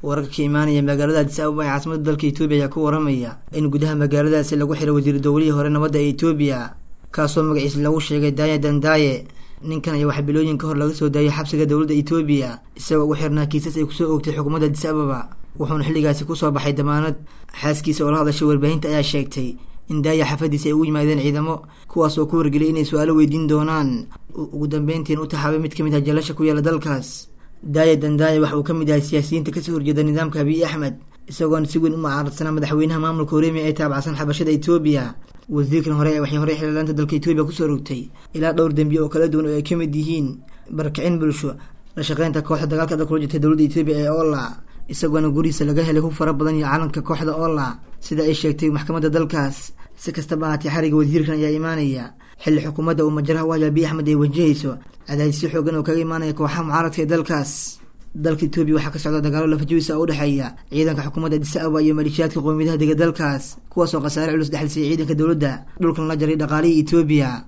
Wararka ka imaanaya magaalada Addis Ababa ee caasimada dalka Itoobiya ayaa ku waramaya in gudaha magaaladaasi lagu xiray wasiir dowlihii hore nabadda ee Itoobiya, kaasoo magaciisa lagu sheegay Daaya Dandaaye. Ninkan ayaa waxaa bilooyin ka hor laga soo daayay xabsiga dowladda Itoobiya, isagoo ugu xirnaa kiisas ay kusoo oogtay xukuumadda Addis Ababa, wuxuuna xilligaasi kusoo baxay damaanad. Xaaskiisa oo la hadashay warbaahinta ayaa sheegtay in Daaya xafadiisa ay ugu yimaadeen ciidamo, kuwaas oo ku wargeliyay inay su-aalo weydiin doonaan. Ugu dambeyntiin u taxaabay mid ka mid ah jalasha ku yaala dalkaas. Daaya Dandaaye waxa uu ka mid yahay siyaasiyiinta kasoo horjeeda nidaamka Abiy Axmed, isagoona si weyn u mucaaradsanaa madaxweynaha maamulka Oromia ee taabacsan xabashada Itoobiya. Wasiirkan hore ee waxay horey xildhibaanta dalka Itoobiya kusoo rogtay ilaa dhowr dembiye oo kala duwan oo ay ka mid yihiin barakicin bulsho, la shaqeynta kooxda dagaalka adag kula jirtay dowladda Itoobiya ee Ola, isagoona gurihiisa laga helay hub fara badan iyo calanka kooxda Ola, sida ay sheegtay maxkamadda dalkaas. Si kastaba ahaatee, xariga wasiirkan ayaa imaanaya xilli xukuumadda uu majaraha u hayo Abiy Axmed ay wajahayso cadaadisyo xoogan oo kaga imaanaya kooxaha mucaaradka ee dalkaas. Dalka Itoobiya waxaa ka socda dagaalo lafajawisa oo u dhexeeya ciidanka xukuumadda Addis Ababa iyo maleeshiyaadka qowmiyadaha dega dalkaas, kuwaas oo khasaare culus dhexalsiiyay ciidanka dowladda dhulkan la jaray dhaqaalihii Itoobiya.